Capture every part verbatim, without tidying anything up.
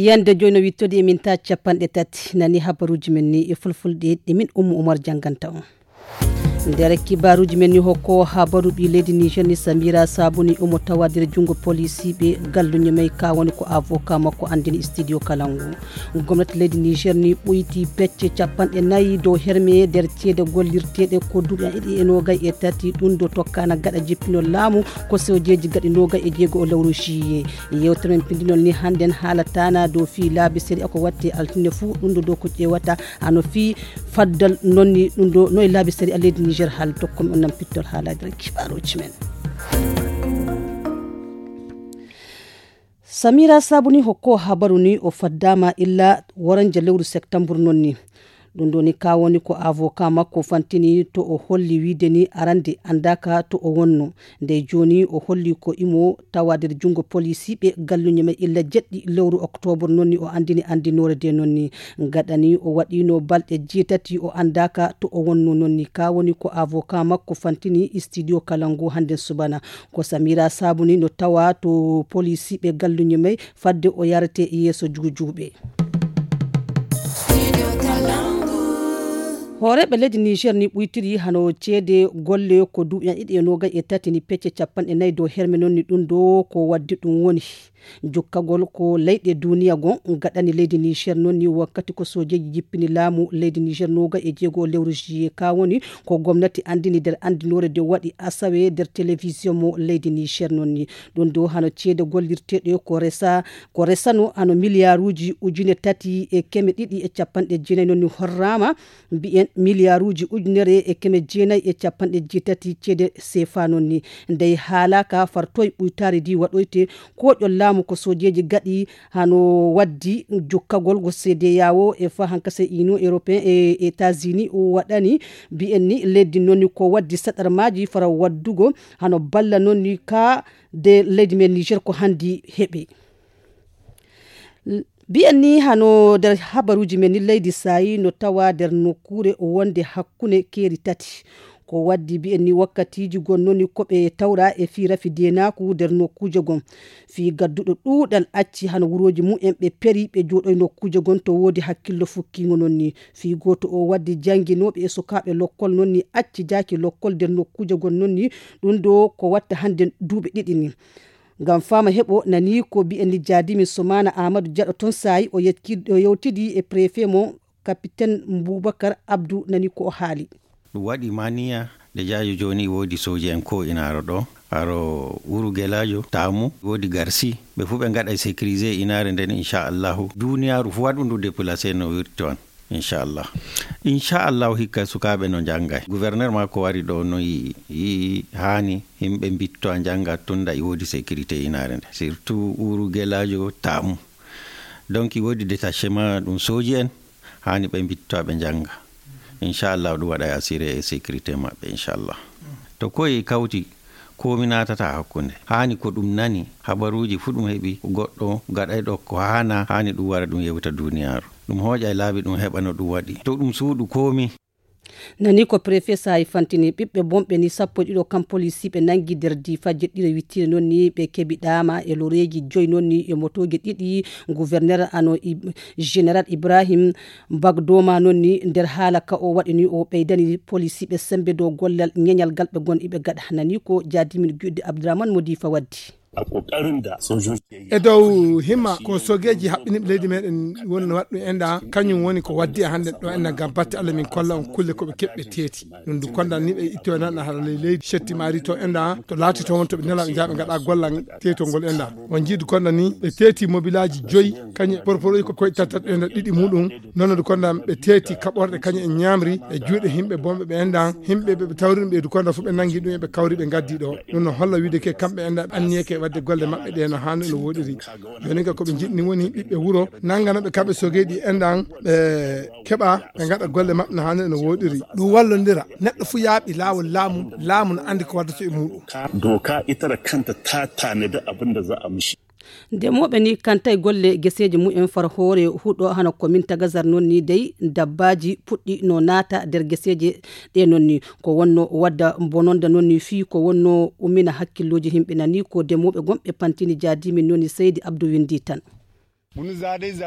Yande joyi no wittodi e min ta capanɗe tati. Nani habaruji men ni e fulfulde ɗi min Ummu Umar jannganta on. Nder kibaruji men ni hokko habaru ɓi leydi Niger ni Samira Sabuni omo tawa nder jungo polisiɓe galluño may ka woni ko avocat makko andini studio Kalangu. Gomnati leydi Niger ni ɓoyti pecce capanɗe nayi dow herme nder ceede gollirteɗe ko duuɓi ɗiɗi e nogay e tati ɗum do tokkana gaɗa jippinol laamu ko sojeji gaɗi nogay e jeego o lewru juillet. Yewtere men pindinol ni hannden haalatana dow fii laabi sariya ko watte altine fuu ɗum do dow ko ƴeewata hano fii faddal nonni ɗum do no e laabi sariya leydi Niger haala tokkon on nan pittol haalaji nder kibaruji men. Samira Sabuni hokko habaru ni o faddama illa woranja lewru septembre nonni. Ɗum ɗo ni ka woni ko avocat makko fantini to o holli wiide ni arande andaka to o wonno. Nde joni o holli ko imo tawa nder jungo polisiɓe galluño men illa jeɗɗi lewru octobre nonni o andini andinore de nonni. Gaɗani o waɗino balɗe jeetati o andaka to o wonno nonni. Ka woni ko avocat makko fantini studio Kalangu hande subana. Ko Samira Sabuni no tawa to polisiɓe galluño may fadde o yarete yeeso juujuuɓe. Hooreeɓe leydi Niger ni ɓuytiri hano ceede golle ko duuɓi ɗiɗi e nogay e tati ni pecce capanɗe nayi dow herme noon ni ɗum ɗo ko waddi ɗum woni jukkagol ko leyɗe duniya gon gaɗani leydi Niger noon ni wakkati ko sojeji jippini laamu leydi Niger nogay e jeego lewru juillet ka woni ko gomnati andini nder andinore de waɗi asawe nder télévision mo leydi Niger noon ni. Ɗum ɗo hano ceede gollirteɗe ko resa ko resano hano miliyaruuji ujune tati e keme ɗiɗi e capanɗe jeenayi noon ni horrama mbiyen miliyaruuji ujunere e keme jeenayi e capanɗe jeetati ceede sefa noon ni. Ndey haalaka fartoy ɓuytaari ndi waɗoyte koƴol laamu ko sojeji gaɗi hano waddi jukkagol go cedeao e fa hankase union européen e états-unis o waɗani mbiyen ni leddi noon ni ko waddi saɗarmaji fara waddugo hano balla noon ni ka de leydi men Niger ko hanndi heɓi. Mbiyen ni hano nder habaruji men ni leydi Sayi no tawa nder nokkure wonde hakkunde keeri tati. Ko waddi mbiyen ni wakkatiji gon noon ni ko ɓe tawra e fii rafi denaku nder nokkuje gon. Fii gadduɗo ɗuuɗal acci hano wuroji mumen ɓe peri ɓe jooɗoy nokkuje gon to woodi hakkillo fukkingo noon ni. Fii gooto o waddi jannginoɓe e sukaaɓe lokkol noon ni acci jaaki lokkol nder nokkuje gon noon ni. Ɗum ɗo ko watta hannde duuɓi ɗiɗi ni. Ngam fama heɓo nani ko mbiyen ni jaadimi Somaana Aamadu Jaɗo toon saayi o yewtidi e préfet mo capitaine Boubacar Abdou nani ko o haali. Ɗum waɗi maniya de jaajo jooni woodi sooji en ko inaaro ɗo aro uru gelajo tamu woodi garsi ɓe fuu ɓe ngaɗa sécurisé inaare nden inchallahu duniyaaru fuu waɗundu déplacé no wirti on. Inchallah inchallahu hikka sukaaɓe no njannga gouverneur ma ko wari ɗo no yii yii haani yimɓe mbitto a njannga tunda e woodi sécurité inaare nde surtout uru gelajo tamu donc e woodi détachement ɗum sooji en haani ɓe mbitto ɓe njannga inchallah ɗum waɗa assuré e sécurité maɓɓe inchallah to koye kawti komi natata hakkunde haani ko ɗum nani habaruji fuu ɗum heɓi goɗɗo gaɗayɗo ko haana haani ɗum wara ɗum yewta duniyaaru ɗum hooƴa e laabi ɗum heɓa no ɗum waɗi to ɗum suuɗu komi. Nani ko préfet saayi fantini ɓiɓɓe bonɓe ni sappo e ɗiɗo kam polisiiɓe nangi nder diifa jeɗɗire wittire noon ni ɓe keɓi ɗaama e loreeji joyi noon ni e motooji ɗiɗi gouverneur ano général ibrahim bagdoma noon ni nder haala ka o waɗi ni o ɓeydani polisiiɓe sembe dow gollal ñeñal gal ɓe gon iɓe gaɗa nani ko jaadimin giɗde abdourahmane mo diifa waddi. A ƙoƙarin da sojoji ke yi. E dow himma ko sogeeji haɓɓiniiɓe leydi meɗen woni no waɗɗum enda kañum woni ko waddi e hannde ɗo enda ngam batte allah min kolla on kulle ko ɓe keɓɓe teeti ɗum du konda ni ɓe itto nan hara ley leydi cetti maari to enda to laati to won to ɓe nela ɓe jaaɓe ngaɗa golla teetol ngol enda on jiidu konda ni ɓe teeti mobilaji joyi kañum porporoy ko koye tattat enda ɗiɗi muɗum nonode konda ɓe teeti kaɓorɗe kañum en ñamri e juuɗe himɓe bonɓe ɓe enda himɓe ɓe tawri ɗum ɓeydu konda fof ɓe nangi ɗum eɓe kawri ɓe gaddi ɗo ɗum no holla wiide ke kamɓe enda anniyeke wadde golle maɓɓe ɗe no hanno no woɗiri joni ga koɓe jiɗni woni ɓiɓɓe wuuro nanganoɓe kamɓe sogeɗi endan ɓe keɓa ɓe gaɗa golle maɓɓe no hanno no woɗiri ɗum wallodira neɗɗo fuu yaaɓi laawol laamu laamu no andi ko waddata e muɗum. Doka ita da kanta ta tanadi abin da za a mishi. Ndemooɓe ni kantay golle geseeji mumen far hoore huɗo hano komin tagazar noon ni dey dabbaaji puɗɗi no naata nder geseeje ɗe noon ni ko wonno wadda bononda noon ni fii ko wonno ummina hakkillooji yimɓe nani ko demooɓe gonɓe pantini jaadimin noon ni seydi abdou winndi tan.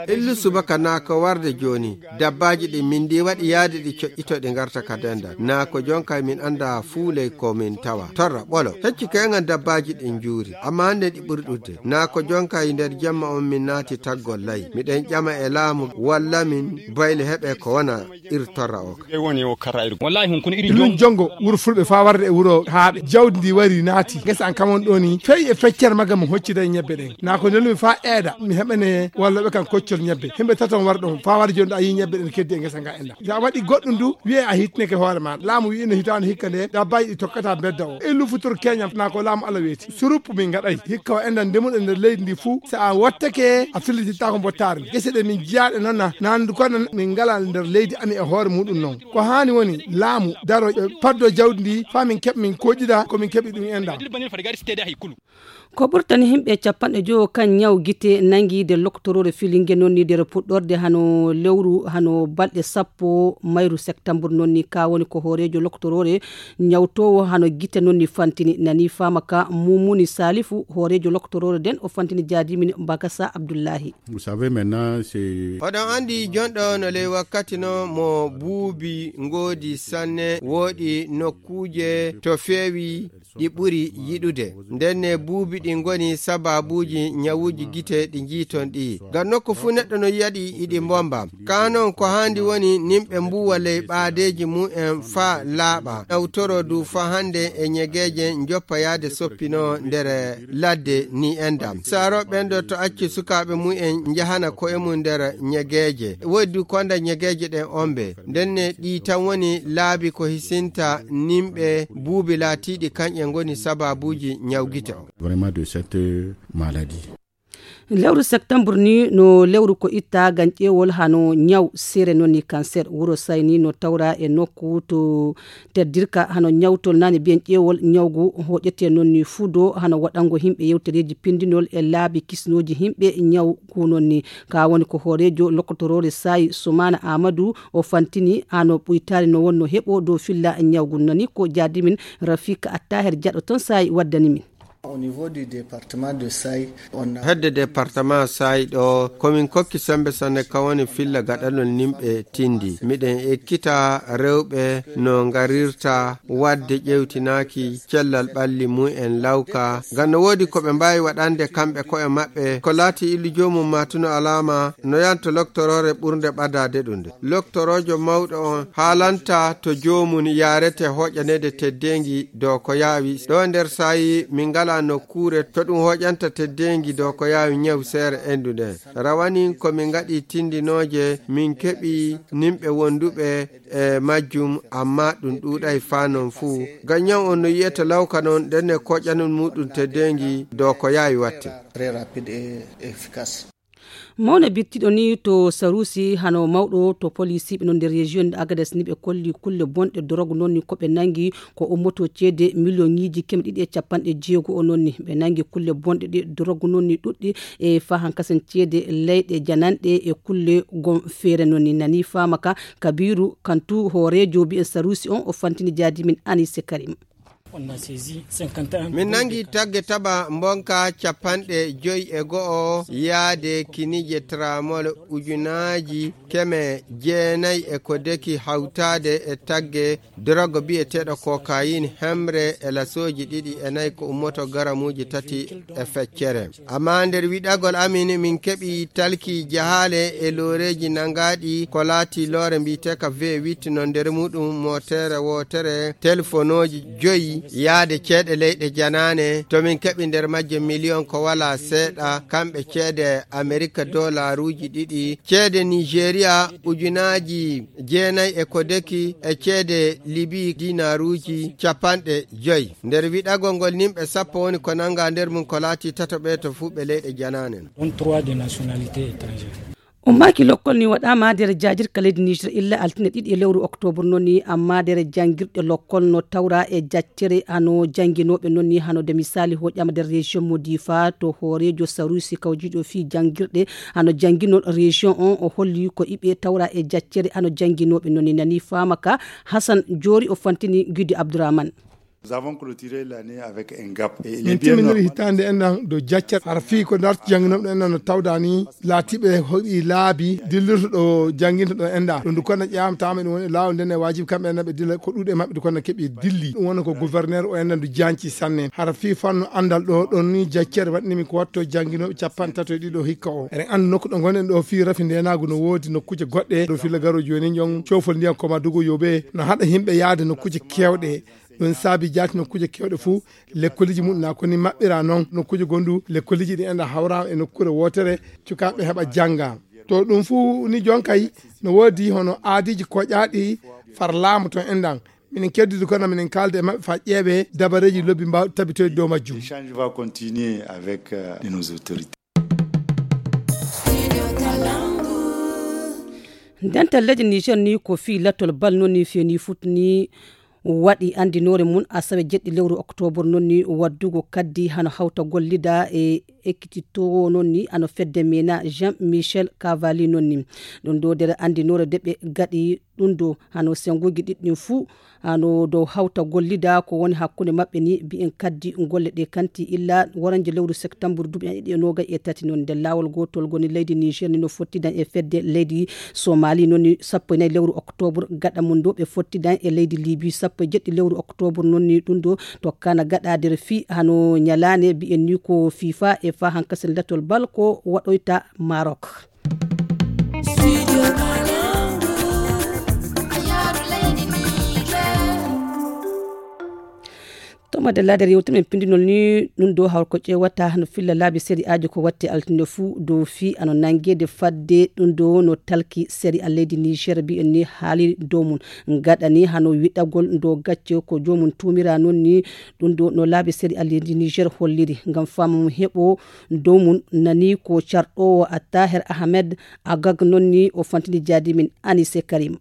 Illu subaka naa ko warde jooni. Dabbaaji ɗin min ndi waɗi yaade ɗi coƴƴito ɗi ngarta ka dendal. Naa ko jonkay min annda fuuley ko min tawa. Torra ɓolo. Hecci keŋan dabbaaji ɗin njuuri. Amma hannde ɗi ɓuri ɗuɗde. Naa ko jonkay nder jemma on min naati taggol lay. Miɗen ƴama e laamu walla min bayle heɓe ko wona ir torra o ka. Wallahi hun kun iri Ɗum jongo wuro fulɓe faa warde e wuro haaɓe. Jawdi ndi wari naati. Ngesa an kamon ɗo ni. Fey e feccere magam mi hoccida e ñebbe ɗen. Naa ko nelmi faa eeda. Mi heɓane walla ɓe kan koccol ñebbe. Himɓe taton war ɗon. Faa war jooni ɗo a yii ñebbe ɗen keddi e ngesa nga enda. Sa waɗi goɗɗum du, wi'e a hittineke hoore ma. Laamu wi'ino hitaande hikka nde, dabbaaji ɗi tokkata bedda o. E lufutur keñam, naa ko laamu Alla weeti. Surup min ngaɗay. Hikka o endan ndemuɗo nder leydi ndi fuu. Sa a wattake, a fillitittaako mbottaari. Gese ɗe min jiyaaɗe noon na, nandu kono min ngalaa nder leydi ami e hoore muɗum noon. Ko haani woni laamu daro, e, paddo jawdi ndi, faa min keɓ min koƴƴida, ko min keɓi ɗum enda. Ko ɓurtani himɓe capanɗe jowo kan ñaw gite nangi de loktorore filinge noon ni nder puɗɗorde hano lewru, hano balɗe sappo mayru septembre noon ni. Ka woni ko hooreejo loktorore ñawtoowo hano gite noon ni fantini. Nani faama ka Mumuni Salifu, hooreejo loktorore den, o fantini jaadimin Bakasa Abdullahi. Vous savez, maintenant, c'est Oɗon anndi jonɗo no ley wakkati no mo buubi ngoodi sanne, wooɗi nokkuuje to feewi ɗi ɓuri yiɗude. Ndenne buubi ɗi ngoni sababuuji ñawuuji gite ɗi njiiton ɗi. Ngam nokku fuu neɗɗo no yi'aɗi iɗi mbomba. Kaa non ko haandi woni nimɓe mbuuwa ley ɓaadeeji mu'en faa laaɓa. Nawtoro du faa hannde e ñegeeje njoppa yaade soppinoo nder ladde ni endam. Saarooɓe ɓen ɗo to acci sukaaɓe mu'en njahana ko'e mum nder ñegeeje. Woodi du konda ñegeeje ɗen ombe. Ndenne ɗi tan woni laabi ko hisinta nimɓe buubi laatiiɗi kanƴe ngoni sababuuji ñawgite o. Vraiment de cette maladie. Lewru septembre ni no lewru ko itta gan ƴeewol hano ñaw seere noon ni cancer. Wuro Sayni no tawra e nokku to teddirka hano ñawtol nani biyen ƴeewol ñawgu hoƴete noon ni fudo hano waɗango himɓe yewtereeji pindinol e laabi kisnooji himɓe ñaw ku noon ni. Ka woni ko hooreejo lokotoroore Sayi Sumana Amadou o fantini hano ɓuytaari no wonno heɓo dow filla ñawgu nani ko jaadimin Rafik Attaher Jaɗo toon Sayi waddani min. Au niveau du département de Saï, on a Hedde département Saï ɗo, komin kokki sembe sanne ka woni filla gaɗanol nimɓe tindi. Miɗen ekkita rewɓe no ngarirta wadde ƴewtinaaki cellal ɓalli mu'en lawka. Ngam no woodi ko ɓe mbaawi waɗande kamɓe ko'e maɓɓe, ko laati illu joomum matuno alaama, no yanto loktoroore ɓurnde ɓadaade ɗum nde. Loktoroojo mawɗo on haalanta to joomum yaarete hoƴaneede teddeengi dow ko yaawi. Ɗo nder saayi min ngalaa nokkuure to ɗum hoƴanta teddeengi dow ko yaawi ñaw seere endu nden. Rawanin ko min ngaɗi tindinooje, min keɓi nimɓe wonduɓe e majjum, amma ɗum ɗuuɗay faa non fuu. Ngam ñaw on no yi'ete lawka non, ndenne koƴanol muɗum teddeengi dow ko yaawi watte. Très rapide et efficace. Mawna bittiɗo ni to Sarusi hano mawɗo to polisiiɓe non nder région de Agadez ni ɓe kolli kulle bonɗe dorogu non ni ko ɓe nangi ko ummoto ceede miliyoŋiiji keme ɗiɗi e capanɗe jeego o non ni. Ɓe nangi kulle bonɗe ɗe dorogu non ni ɗuɗɗi e fahan kasan ceede leyɗe jananɗe e kulle gom feere non ni. Nani faama ka Kabiru Kantu hooreejo bi'en Sarusi on o fantini jaadimin Anise Karim. Min nangi tagge taba mbonka capanɗe joy e go'o yaade kinije tramol ujunaaji keme jeenay e ko deki hawtaade e tagge drogue bi'eteeɗo cocaïne hemre e lasooji ɗiɗi e nayi ko ummoto garamuuji tati e feccere. Amma nder wiɗagol amin, min keɓi talki jahaale e looreeji nangaaɗi ko laati loore mbi'eteeka V huit no nder muɗum mootere wootere, telefonooji joyi yaade ceeɗe leyɗe janaane, to min keɓi nder majje miliyon ko walaa seeɗa, kamɓe ceede Amerika doolaruuji ɗiɗi, ceede Nigeria ujunaaji jeenay e ko deki e ceede Libi dinaaruuji capanɗe joyi. Nder wiɗagol ngol nimɓe sappo woni ko nanga nder mum ko laati tato ɓe to fuu ɓe leyɗe janaanen. Dont trois de nationalité étrangère. Ummaaki lokkol ni waɗaama nder jaajirka leydi Niger illa altine ɗiɗi e lewru octobre noon ni, amma nder janngirɗe lokkol no tawra e jaccere hano jannginooɓe noon ni hano de misali hoƴama nder région mo Difa to hooreejo Sarusi kawjiiɗo fii janngirɗe hano jannginol région on o holli ko iɓe tawra e jaccere hano jannginooɓe noon ni nani faama ka Hassan Joori o fantini Gudi Abdourahmane. Nous avons clôturé l'année avec un gap. Et il est Min bien timminiri normal. Hitaande enɗan ɗo jaccat. Hara fii ko darti jannginooɓe ɗo enɗan no tawda ni laatiiɓe hoɗi laabi dillirta ɗo jannginta ɗo enɗan. Ɗum ndu konna ƴaamtaama ɗum woni e laawol nden e waajibi kamɓe enɗan ɓe dilla ko ɗuuɗi e maɓɓe ndu konna keɓi dilli. Ɗum woni ko gouverneur o enɗan ndu jaanci sanne. Hara fii fannu anndal ɗo ɗon ni jaccere waɗnimi ko watto jannginooɓe capanɗe tato e ɗiɗo hikka o. Eɗen anndi nokku ɗo ngonɗen ɗo fii rafi ndeenaagu no woodi nokkuuje goɗɗe. Ɗo filla garo jooni jon coofol ndiyam koma dugu yoɓe no haɗa yimɓe yaade nokkuuje keewɗe. Ɗum saabi jaati nokkuuje keewɗe fuu lekkoliji muɗum na koni maɓɓira noon nokkuuje gondu lekkoliji ɗi enɗan hawraama e nokkuure wootere cukaaɓe heɓa jannga. To ɗum fuu ni jon kay no woodi hono aadiiji koƴaaɗi far laamu to enɗan. Minen keddude kono minen kaalda e maɓɓe faa ƴeewe dabareeji lobbi mbaawɗi tabitoyde dow majjum. L'échange va continuer avec, euh, nos autorités. Dental leydi Niger ni ko fii lattol bal noon ni feeni fuɗɗi ni waɗi anndinoore mum asawe jeɗɗi lewru oktoobar noon ni waddugo kaddi hano hawta gollida e ekkititoowo noon ni ano fedde mena Jean Michel Cavalli noon ni. Ɗum ɗo nder anndinoore de ɓe gaɗi ɗum ɗo hano senguji ɗiɗɗin fuu hano dow hawta gollida ko woni hakkunde maɓɓe ni mbiyen kaddi golle ɗe kanti illa waranje lewru septembre duuɓi ɗiɗi e noogay e tati noon nder laawol gootol goni leydi Niger ni no fottidan e fedde leydi Somali noon ni sappo e nayi lewru oktoobre gaɗa mum ɗo ɓe fottidan e leydi Libi sappo e jeɗɗi lewru oktoobre noon ni ɗum ɗo tokkana gaɗa nder fii hano ñalaande mbiyen ni ko fifa e fa hankasen latol bal ko waɗoyta Maroc. Toma de lader yewtumen pindinol ni ɗum ɗo hawr ko ƴeewata no filla laabi seri aji ko watti altine fuu dow fii ano nangede fadde ɗum ɗo no talki seri a leydi Niger mbiyen ni haali dow mum gaɗani hano wiɗagol ndo gacce ko joomum tuumira noon ni ɗum ɗo no laabi seri a leydi Niger holliri ngam faamum heɓo dow mum nani ko carɗoowo a Taher Ahmed a gag noon ni o fantini jaadi min Anise Karim.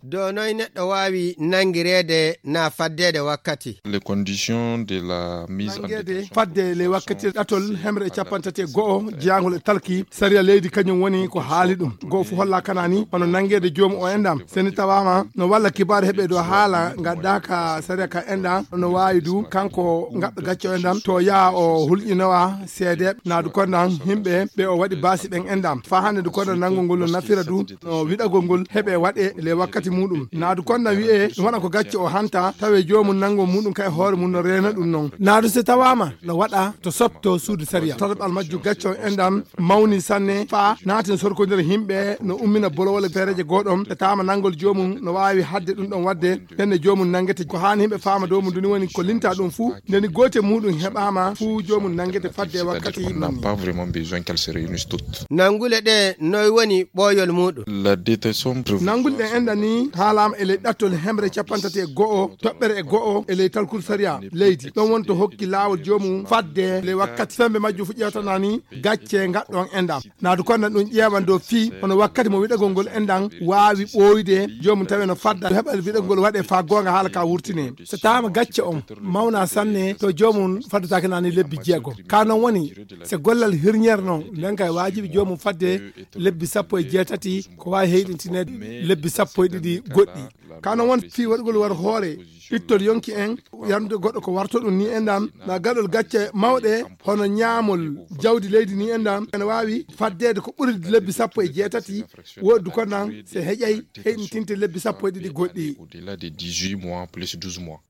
Dow noy neɗɗo waawi nanngireede na faddeede wakkati? Les conditions de la mise en Nanngeede détention fadde ley wakkati ɗatol hemre e capanɗe tati e go'o jeyangol e talki sariya leydi kañum woni ko haali ɗum. Go'o fof holla kana ni hono nanngeede joomum o enɗam. So ni tawaama no walla kibaaru heɓe dow haala ngaddaaka sariya ka enɗam no waawi du kanko ngaɗɗo gacce o enɗam to yaha o hulƴinowa seedeeɓe naadu kondan yimɓe ɓe o waɗi baasi ɓen enɗam. Faa hannde du kondan nanngol ngol no nafira du no wiɗagol ngol heɓe waɗe le wakkati muɗum. Naadu kondan wi'e ɗum waɗa ko gacce o hanta tawe joomum nanngol muɗum kay hoore mum no reena ɗum non. Naadu so tawaama no waɗa to sopto suudu sariya. Tataɓal majju gacce o enɗam mawni sanne faa naatin sorkondira yimɓe no ummina bolowole feereeje gooɗon. Ɓe taama nanngol joomum no waawi hadde ɗum ɗon waɗde. Nden ne joomum nanngete. Ko haani yimɓe faama dow mum duni woni ko linta ɗum fuu. Nden goote muɗum heɓaama fuu joomum nanngete fadde wakkati. C'est-à-dire qu'on n'a pas vraiment besoin qu'elles se réunissent toutes. Nanngule ɗe noy woni ɓooyol muɗum? La détention provisoire. Nanngule ɗe enɗan ni haalaama e ley ɗattol hemre capanɗe tati e go'o toɓɓere e go'o e ley talkuru sariya leydi. Ɗon woni to hokki laawol joomum fadde ley wakkati. Sembe majjum fuɗƴata naa ni gacce ngaɗɗon enɗam. Naadu kondan ɗum ƴeewan dow fii hono wakkati mo wiɗagol ngol enɗam waawi ɓooyde joomum tawe no fadda heɓa wiɗagol waɗe faa goonga haala ka wurtine. So taama gacce on mawna sanne to joomum faddataake naa ni lebbi jeego. Ka non woni so gollal hirñere non nden kay waajibi joomum fadde lebbi sappo e jeetati ko waawi heyɗintineede lebbi sappo e ɗiɗi goɗɗi. Ka non woni fii waɗugol war hoore ittol yonki en yarnude goɗɗo ko warto ɗum ni enɗam na gaɗol gacce mawɗe hono ñaamol jawdi leydi ni enɗam ene waawi faddeede ko ɓuri lebbi sappo e jeetati. Woɗdu ko nan so heƴay heyɗintinte lebbi sappo e ɗiɗi goɗɗi. Au-delà de dix-huit mois plus douze mois.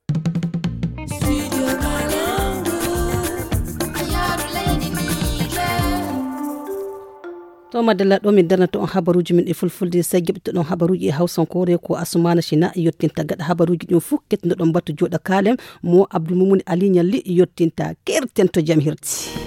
To madalla ɗo min darnata on habaruuji min e fulfulde sey jaɓɓitoɗon habaruuji e hawsankoore ko Asumana Sina yottinta gaɗa habaruuji ɗin fof kettunoɗon mbattu jooɗa kaalem mo Abdou Moumouni Ali Ñalli yottinta kerten to jam hirti.